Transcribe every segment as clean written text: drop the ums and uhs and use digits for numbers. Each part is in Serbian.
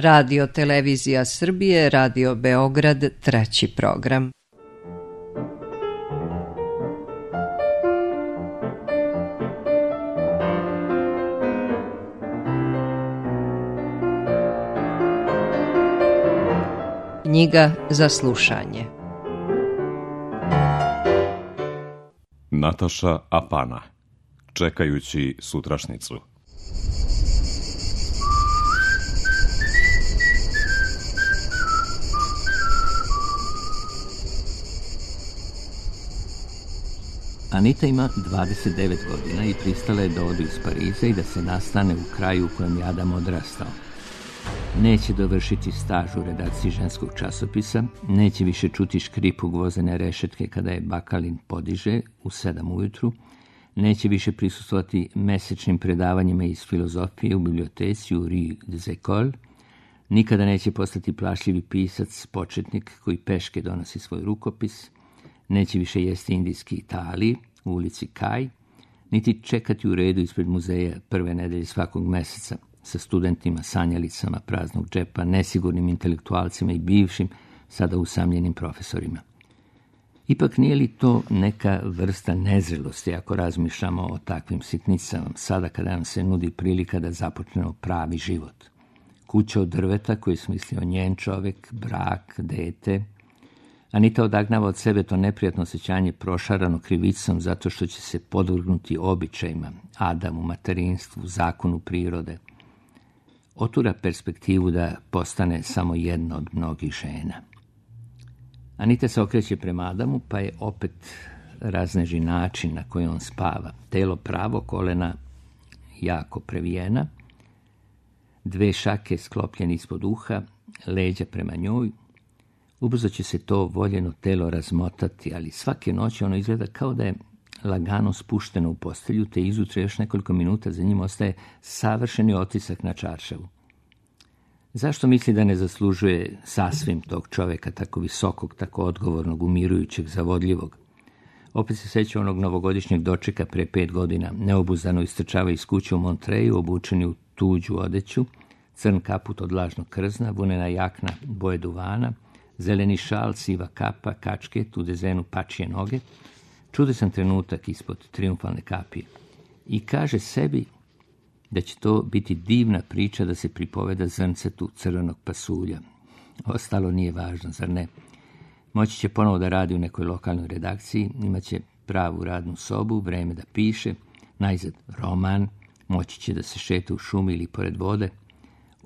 Radio Televizija Srbije, Radio Beograd, 3. program. Knjiga za slušanje. Nataša Apana, čekajući sutrašnicu. Anita ima 29 godina i pristala je da ode iz Pariza i da se nastane u kraju u kojem je Adam odrastao. Neće dovršiti staž u redakciji ženskog časopisa, neće više čuti škripu gvozene rešetke kada je bakalin podiže u 7 ujutru, neće više prisustvovati mesečnim predavanjima iz filozofije u biblioteci u Rue des Écoles, nikada neće postati plašljivi pisac, početnik koji peške donosi svoj rukopis, neće više jesti indijski Italiji u ulici Kaj, niti čekati u redu ispred muzeja prve nedelje svakog meseca sa studentima, sanjalicama praznog džepa, nesigurnim intelektualcima i bivšim, sada usamljenim profesorima. Ipak nije li to neka vrsta nezrelosti ako razmišljamo o takvim sitnicama, sada kada nam se nudi prilika da započnemo pravi život? Kuća od drveta koju je smislio njen čovek, brak, dete. Anita odagnava od sebe to neprijatno osjećanje prošarano krivicom zato što će se podvrgnuti običajima, Adamu, materinstvu, zakonu prirode. Otura perspektivu da postane samo jedna od mnogih žena. Anita se okreće prema Adamu, pa je opet razneži način na koji on spava. Telo pravo, kolena jako previjena, 2 šake sklopljene ispod uha, leđa prema njoj. Ubrzo će se to voljeno telo razmotati, ali svake noći ono izgleda kao da je lagano spušteno u postelju, te izutra još nekoliko minuta za njim ostaje savršeni otisak na čaršavu. Zašto misli da ne zaslužuje sasvim tog čoveka, tako visokog, tako odgovornog, umirujućeg, zavodljivog? Opet se seća onog novogodišnjeg dočeka pre 5 godina. Neobuzdano istrčava iz kuće u Montreju, obučeni u tuđu odeću, crn kaput od lažnog krzna, vunena jakna boje duvana, zeleni šal, siva kapa, kačket u dezenu pačije noge, čudesan trenutak ispod trijumfalne kapije. I kaže sebi da će to biti divna priča da se pripoveda zrncetu crvenog pasulja. Ostalo nije važno, zar ne? Moći će ponovo da radi u nekoj lokalnoj redakciji, imaće pravu radnu sobu, vreme da piše, najzad roman, moći će da se šeta u šumi ili pored vode.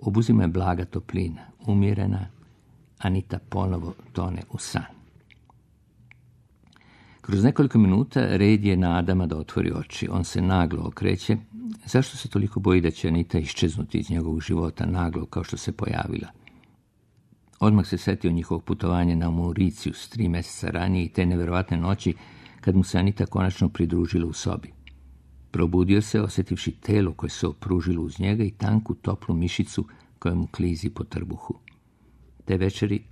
Obuzima je blaga toplina, umjerena. Anita ponovo tone u san. Kroz nekoliko minuta red je na Adama da otvori oči. On se naglo okreće. Zašto se toliko boji da će Anita iščeznuti iz njegovog života naglo kao što se pojavila? Odmah se setio njihovog putovanja na Mauricijus 3 mjeseca ranije i te neverovatne noći kad mu se Anita konačno pridružila u sobi. Probudio se, osjetivši telo koje se opružilo uz njega i tanku toplu mišicu koja mu klizi po trbuhu. Te večeri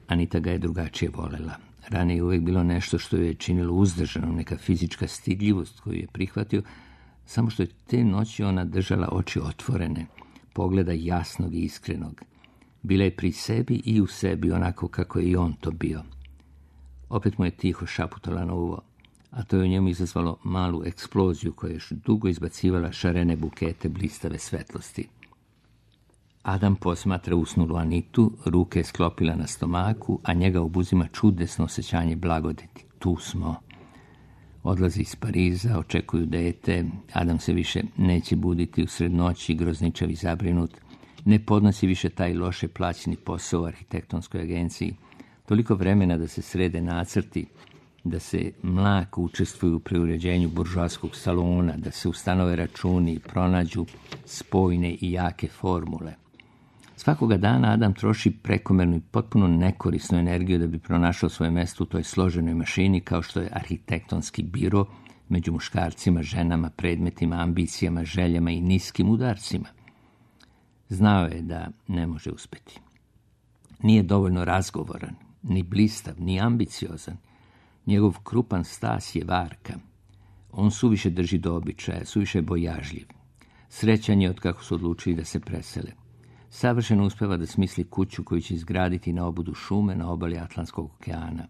Anita ga je drugačije volela. Ranije je uvijek bilo nešto što je činilo uzdržano, neka fizička stidljivost koju je prihvatio, samo što je te noći ona držala oči otvorene, pogleda jasnog i iskrenog. Bila je pri sebi i u sebi onako kako je i on to bio. Opet mu je tiho šaputala na uvo, a to je u njemu izazvalo malu eksploziju koja je još dugo izbacivala šarene bukete blistave svetlosti. Adam posmatra usnulu Anitu, ruke je sklopila na stomaku, a njega obuzima čudesno osjećanje blagodeti. Tu smo. Odlazi iz Pariza, očekuju dete, Adam se više neće buditi usred noći, grozničav i zabrinut, ne podnosi više taj loše plaćeni posao u arhitektonskoj agenciji, toliko vremena da se srede nacrti, da se mlako učestvuju u preuređenju buržoaskog salona, da se ustanove računi, pronađu spojne i jake formule. Svakoga dana Adam troši prekomernu i potpuno nekorisnu energiju da bi pronašao svoje mjesto u toj složenoj mašini kao što je arhitektonski biro među muškarcima, ženama, predmetima, ambicijama, željama i niskim udarcima. Znao je da ne može uspjeti. Nije dovoljno razgovoran, ni blistav, ni ambiciozan. Njegov krupan stas je varka. On suviše drži do običaja, suviše bojažljiv. Srećan je od kako su odlučili da se presele. Savršeno uspeva da smisli kuću koju će izgraditi na obodu šume na obali Atlantskog okeana.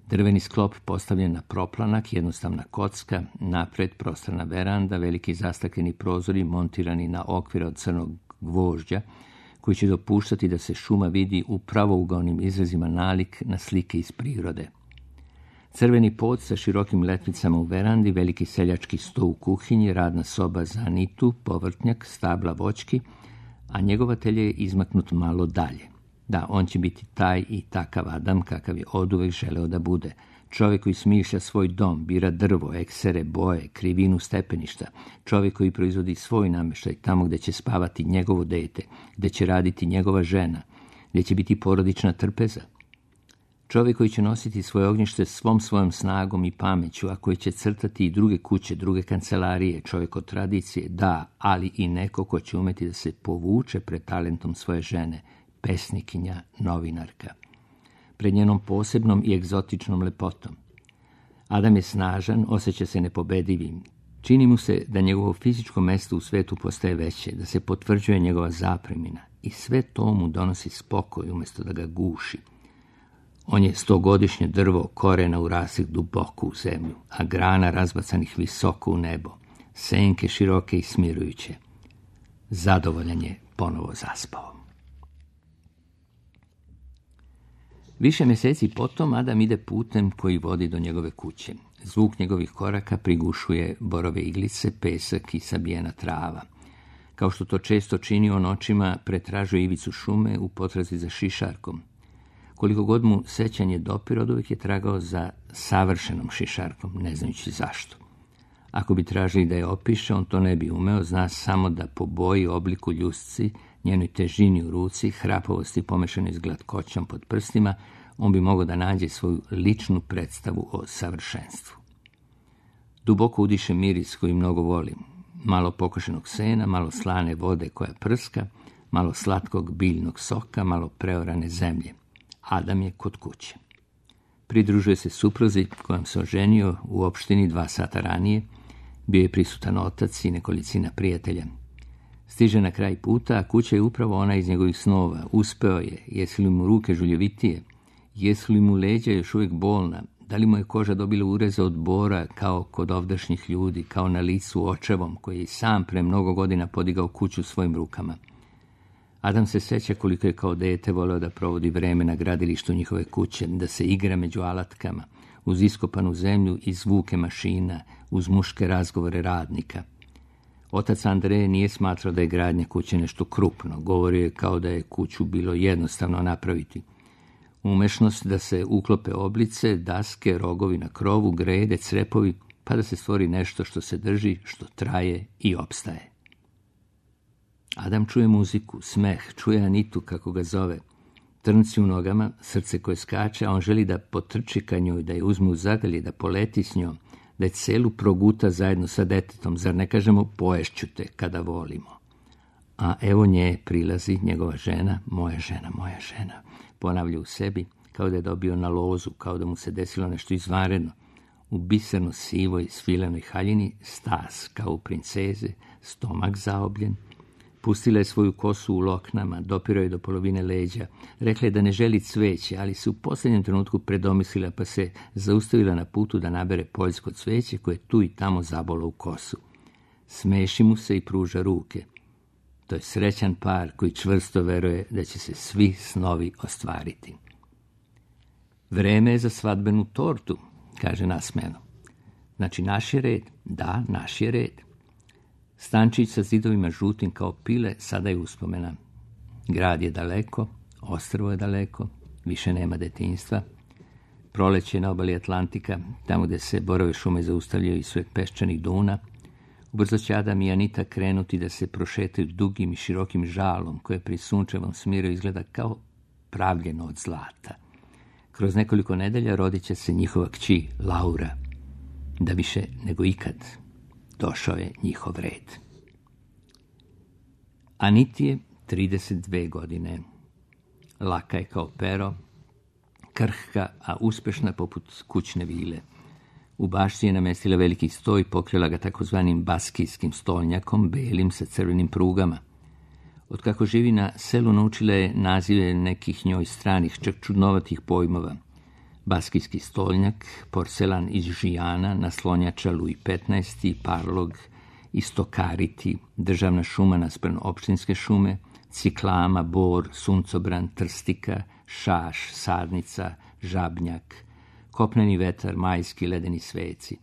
Drveni sklop postavljen na proplanak, jednostavna kocka, napred prostrana veranda, veliki zastakleni prozori montirani na okvir od crnog gvožđa, koji će dopuštati da se šuma vidi u pravougaonim izrazima nalik na slike iz prirode. Crveni pod sa širokim letvicama u verandi, veliki seljački sto u kuhinji, radna soba za Anitu, povrtnjak, stabla voćki, a njegovatelj je izmaknut malo dalje. Da, on će biti taj i takav Adam kakav je oduvek želeo da bude. Čovjek koji smišlja svoj dom, bira drvo, eksere, boje, krivinu stepeništa. Čovjek koji proizvodi svoj namještaj tamo gdje će spavati njegovo dete, gdje će raditi njegova žena, gdje će biti porodična trpeza. Čovjek koji će nositi svoje ognjište svom svojom snagom i pameću, a koji će crtati i druge kuće, druge kancelarije, čovjek od tradicije, da, ali i neko ko će umeti da se povuče pred talentom svoje žene, pesnikinja, novinarka, pred njenom posebnom i egzotičnom lepotom. Adam je snažan, osjeća se nepobedivim. Čini mu se da njegovo fizičko mesto u svetu postaje veće, da se potvrđuje njegova zapremina i sve to mu donosi spokoj umjesto da ga guši. On je 100-godišnje drvo korena urasih duboko u zemlju, a grana razbacanih visoko u nebo, senke široke i smirujuće. Zadovoljan je ponovo zaspao. Više mjeseci potom Adam ide putem koji vodi do njegove kuće. Zvuk njegovih koraka prigušuje borove iglice, pesak i sabijena trava. Kao što to često čini, on očima pretražuje ivicu šume u potrazi za šišarkom. Koliko god mu sećanje dopire, oduvijek je tragao za savršenom šišarkom, ne znajući zašto. Ako bi tražili da je opiše, on to ne bi umeo, zna samo da po boji, obliku, ljusci, njenoj težini u ruci, hrapavosti pomešanoj s glatkoćom pod prstima, on bi mogao da nađe svoju ličnu predstavu o savršenstvu. Duboko udiše miris koji mnogo volim. Malo pokošenog sena, malo slane vode koja prska, malo slatkog biljnog soka, malo preorane zemlje. Adam je kod kuće. Pridružuje se supruzi kojom se oženio u opštini 2 sata ranije. Bio je prisutan otac i nekolicina prijatelja. Stiže na kraj puta, a kuća je upravo ona iz njegovih snova. Uspeo je. Jesu li mu ruke žuljevitije? Jesu li mu leđa još uvijek bolna? Da li mu je koža dobila ureze od bora kao kod ovdašnjih ljudi, kao na licu očevom koji je sam pre mnogo godina podigao kuću svojim rukama? Adam se seća koliko je kao dete voleo da provodi vreme na gradilištu njihove kuće, da se igra među alatkama, uz iskopanu zemlju i zvuke mašina, uz muške razgovore radnika. Otac Andreje nije smatrao da je gradnja kuće nešto krupno, govorio je kao da je kuću bilo jednostavno napraviti. Umešnost da se uklope oblice, daske, rogovi na krovu, grede, crepovi, pa da se stvori nešto što se drži, što traje i opstaje. Adam čuje muziku, smeh, čuje Anitu kako ga zove. Trnci u nogama, srce koje skače, a on želi da potrči ka njoj, da je uzme u zagrlje, da poleti s njom, da je celu proguta zajedno sa detetom, zar ne kažemo poješću te kada volimo. A evo nje prilazi njegova žena, moja žena, ponavlja u sebi, kao da je dobio na lozu, kao da mu se desilo nešto izvanredno. U biserno sivoj svilenoj haljini, stas kao u princeze, stomak zaobljen. Pustila je svoju kosu u loknama, dopirao je do polovine leđa. Rekla je da ne želi cveće, ali se u posljednjem trenutku predomislila, pa se zaustavila na putu da nabere poljsko cveće koje tu i tamo zabolo u kosu. Smeši mu se i pruža ruke. To je srećan par koji čvrsto veruje da će se svi snovi ostvariti. Vreme je za svadbenu tortu, kaže nasmejano. Znači naš je red? Da, naš je red. Stančić sa zidovima žutim kao pile sada je uspomena. Grad je daleko, ostrvo je daleko, više nema detinjstva. Proleće na obali Atlantika, tamo gdje se borove šume zaustavljaju i svojeg peščanih duna. Ubrzo će Adam i Anita krenuti da se prošetaju dugim i širokim žalom koje pri sunčevom smiru izgleda kao pravljeno od zlata. Kroz nekoliko nedelja rodit će se njihova kći Laura, da više nego ikad došao je njihov red. Aniti je 32 godine. Laka je kao pero, krhka, a uspešna poput kućne vile. U bašti je namestila veliki sto i pokrila ga takozvanim baskijskim stolnjakom, belim sa crvenim prugama. Otkako živi na selu, naučila je nazive nekih njoj stranih, čak čudnovatih pojmova. Baskijski stolnjak, porcelan iz Žijana, naslonjača Louis XV, parlog, istokariti, državna šuma naspram opštinske šume, ciklama, bor, suncobran, trstika, šaš, sadnica, žabnjak, kopneni vetar, majski ledeni sveci.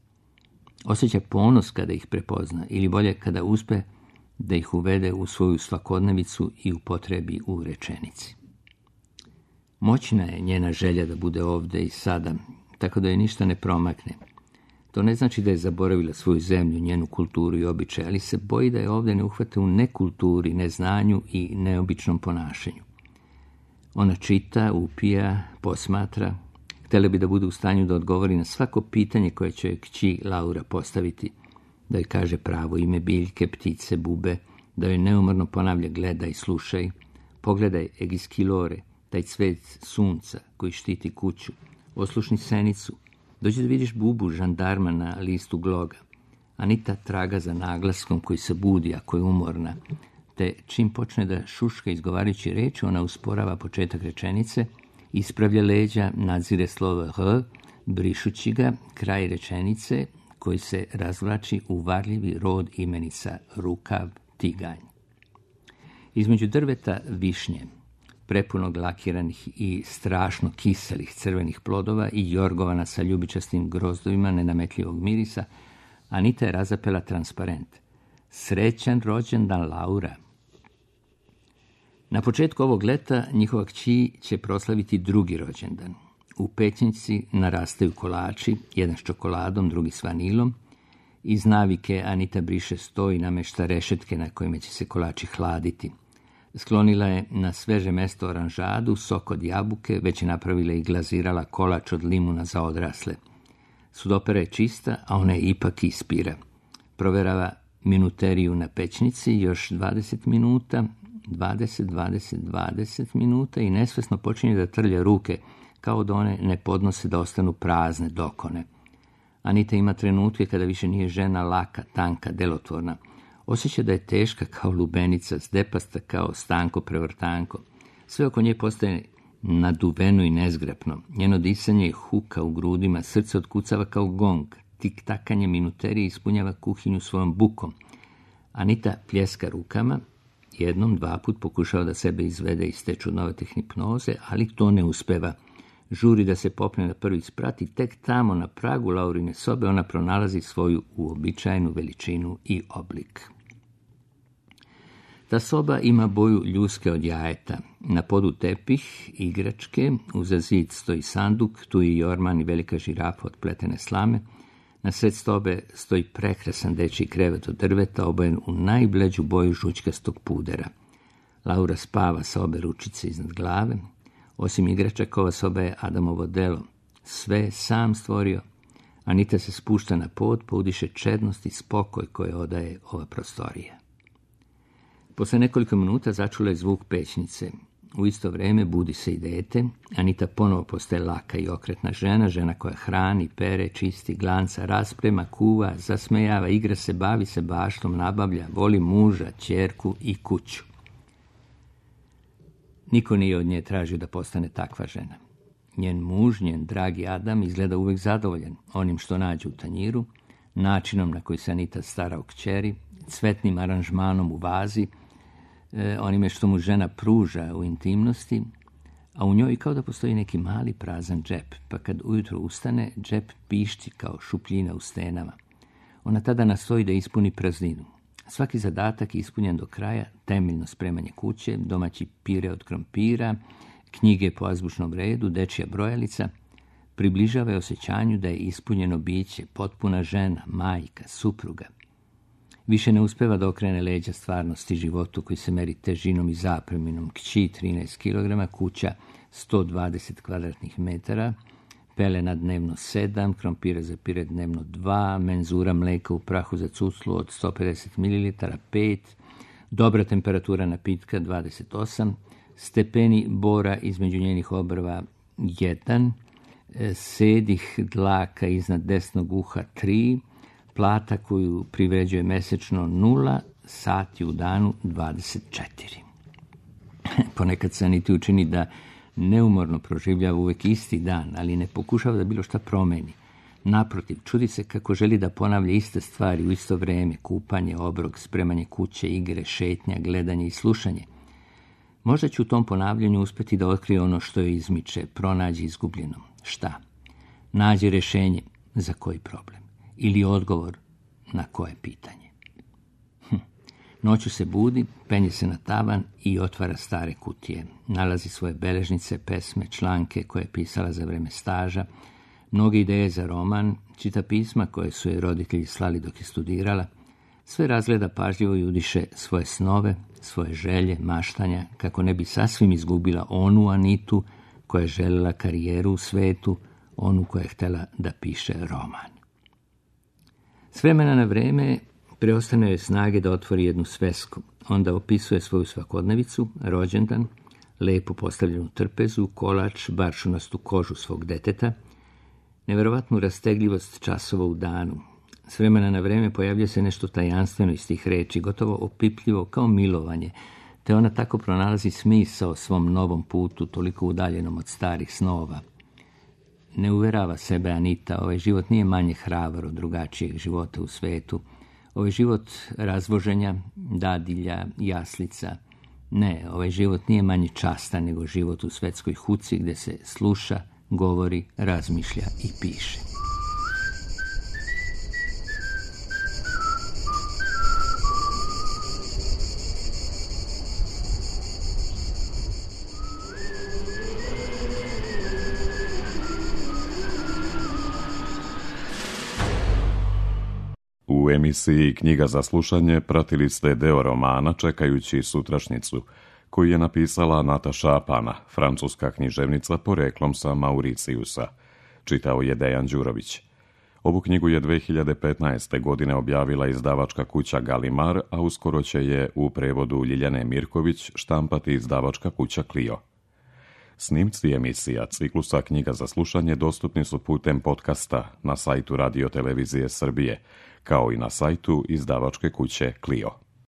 Osjeća ponos kada ih prepozna, ili bolje kada uspe da ih uvede u svoju svakodnevicu i upotrebi u rečenici. Moćna je njena želja da bude ovde i sada, tako da je ništa ne promakne. To ne znači da je zaboravila svoju zemlju, njenu kulturu i običaj, ali se boji da je ovde ne uhvate u nekulturi, neznanju i neobičnom ponašanju. Ona čita, upija, posmatra. Htjela bi da bude u stanju da odgovori na svako pitanje koje će joj kći Laura postaviti, da joj kaže pravo ime biljke, ptice, bube, da joj neumorno ponavlja gledaj, slušaj, pogledaj Egiskilore, taj cvet sunca koji štiti kuću, oslušni senicu, dođi da vidiš bubu žandarma na listu gloga. Anita traga za naglaskom koji se budi ako je umorna, te čim počne da šuška izgovarajući reči, ona usporava početak rečenice, ispravlja leđa, nadzire slovo R, brišući ga, kraj rečenice koji se razvlači u varljivi rod imenica rukav, tiganj. Između drveta višnje, prepunog lakiranih i strašno kiselih crvenih plodova i jorgovana sa ljubičastim grozdovima nenametljivog mirisa, Anita je razapela transparent. Srećan rođendan, Laura. Na početku ovog leta njihova kći će proslaviti drugi rođendan. U pećnici narastaju kolači, jedan s čokoladom, drugi s vanilom. Iz navike Anita briše sto i namešta rešetke na kojima će se kolači hladiti. Sklonila je na sveže mesto oranžadu, sok od jabuke, već je napravila i glazirala kolač od limuna za odrasle. Sudopera je čista, a ona je ipak ispira. Proverava minuteriju na pećnici, još 20 minuta, 20 minuta i nesvesno počinje da trlja ruke, kao da one ne podnose da ostanu prazne dokone. Anita ima trenutke kada više nije žena laka, tanka, delotvorna. Osjeća da je teška kao lubenica, zdepasta kao stanko prevrtanko. Sve oko nje postaje naduveno i nezgrapno. Njeno disanje je huka u grudima, srce otkucava kao gong. Tik-takanje minuterije ispunjava kuhinju svojom bukom. Anita pljeska rukama, jednom, dva put pokušava da sebe izvede iz te čudnovate hipnoze, ali to ne uspeva. Žuri da se popne na prvi sprat i tek tamo na pragu Laurine sobe ona pronalazi svoju uobičajenu veličinu i oblik. Ta soba ima boju ljuske od jajeta. Na podu tepih, igračke, uza zid stoji sanduk, tu je jorman i velika žirafa od pletene slame. Na sred sobe stoji prekrasan dečji krevet od drveta, obojen u najbleđu boju žućkastog pudera. Laura spava sa obe ručice iznad glave. Osim igračaka, ova soba je Adamovo delo. Sve sam stvorio. Anita se spušta na pod, pa udiše čednost i spokoj koje odaje ova prostorija. Posle nekoliko minuta začula je zvuk pećnice. U isto vreme budi se i dete. Anita ponovo postaje laka i okretna žena, žena koja hrani, pere, čisti, glanca, rasprema, kuva, zasmejava, igra se, bavi se baštom, nabavlja, voli muža, ćerku i kuću. Niko nije od nje tražio da postane takva žena. Njen muž, njen dragi Adam, izgleda uvek zadovoljan onim što nađe u tanjiru, načinom na koji se Anita stara o kćeri, cvetnim aranžmanom u vazi, onime što mu žena pruža u intimnosti, a u njoj kao da postoji neki mali prazan džep, pa kad ujutro ustane, džep pišti kao šupljina u stenama. Ona tada nastoji da ispuni prazninu. Svaki zadatak je ispunjen do kraja, temeljno spremanje kuće, domaći pire od krompira, knjige po azbučnom redu, dečija brojalica, približava je osjećanju da je ispunjeno biće, potpuna žena, majka, supruga. Više ne uspeva da okrene leđa stvarnosti životu koji se meri težinom i zapreminom, kći 13 kg, kuća 120 kvadratnih metara, pelena dnevno 7, krompira za pire dnevno 2, menzura mleka u prahu za cuclu od 150 ml 5, dobra temperatura napitka 28, stepeni bora između njenih obrva 1, sedih dlaka iznad desnog uha 3, plata koju privređuje mesečno 0, sati u danu 24. Ponekad se Aniti učini da neumorno proživljava uvijek isti dan, ali ne pokušava da bilo šta promeni. Naprotiv, čudi se kako želi da ponavlja iste stvari u isto vrijeme: kupanje, obrok, spremanje kuće, igre, šetnja, gledanje i slušanje. Možda će u tom ponavljanju uspjeti da otkrije ono što joj izmiče, pronađi izgubljeno. Šta? Nađi rješenje za koji problem ili odgovor na koje pitanje. Noću se budi, penje se na tavan i otvara stare kutije. Nalazi svoje beležnice, pesme, članke koje je pisala za vrijeme staža, mnoge ideje za roman, čita pisma koje su joj roditelji slali dok je studirala. Sve razgleda pažljivo i udiše svoje snove, svoje želje, maštanja, kako ne bi sasvim izgubila onu Anitu koja je željela karijeru u svetu, onu koja je htjela da piše roman. S vremena na vrijeme preostane joj snage da otvori jednu svesku. Onda opisuje svoju svakodnevicu, rođendan, lepo postavljenu trpezu, kolač, baršunastu kožu svog deteta, nevjerovatnu rastegljivost časova u danu. S vremena na vrijeme pojavlja se nešto tajanstveno iz tih reči, gotovo opipljivo kao milovanje, te ona tako pronalazi smisao svom novom putu, toliko udaljenom od starih snova. Ne uverava sebe Anita, ovaj život nije manje hrabar od drugačijeg života u svetu. Ovaj život razvoženja, dadilja, jaslica. Ne, ovaj život nije manje častan nego život u svetskoj huci gdje se sluša, govori, razmišlja i piše. U emisiji Knjiga za slušanje pratili ste deo romana Čekajući sutrašnjicu, koju je napisala Nataša Apana, francuska književnica poreklom sa Mauricijusa. Čitao je Dejan Đurović. Ovu knjigu je 2015. godine objavila izdavačka kuća Galimar, a uskoro će je u prevodu Ljiljane Mirković štampati izdavačka kuća Clio. Snimci emisija ciklusa Knjiga za slušanje dostupni su putem podcasta na sajtu Radio Televizije Srbije, kao i na sajtu izdavačke kuće Clio.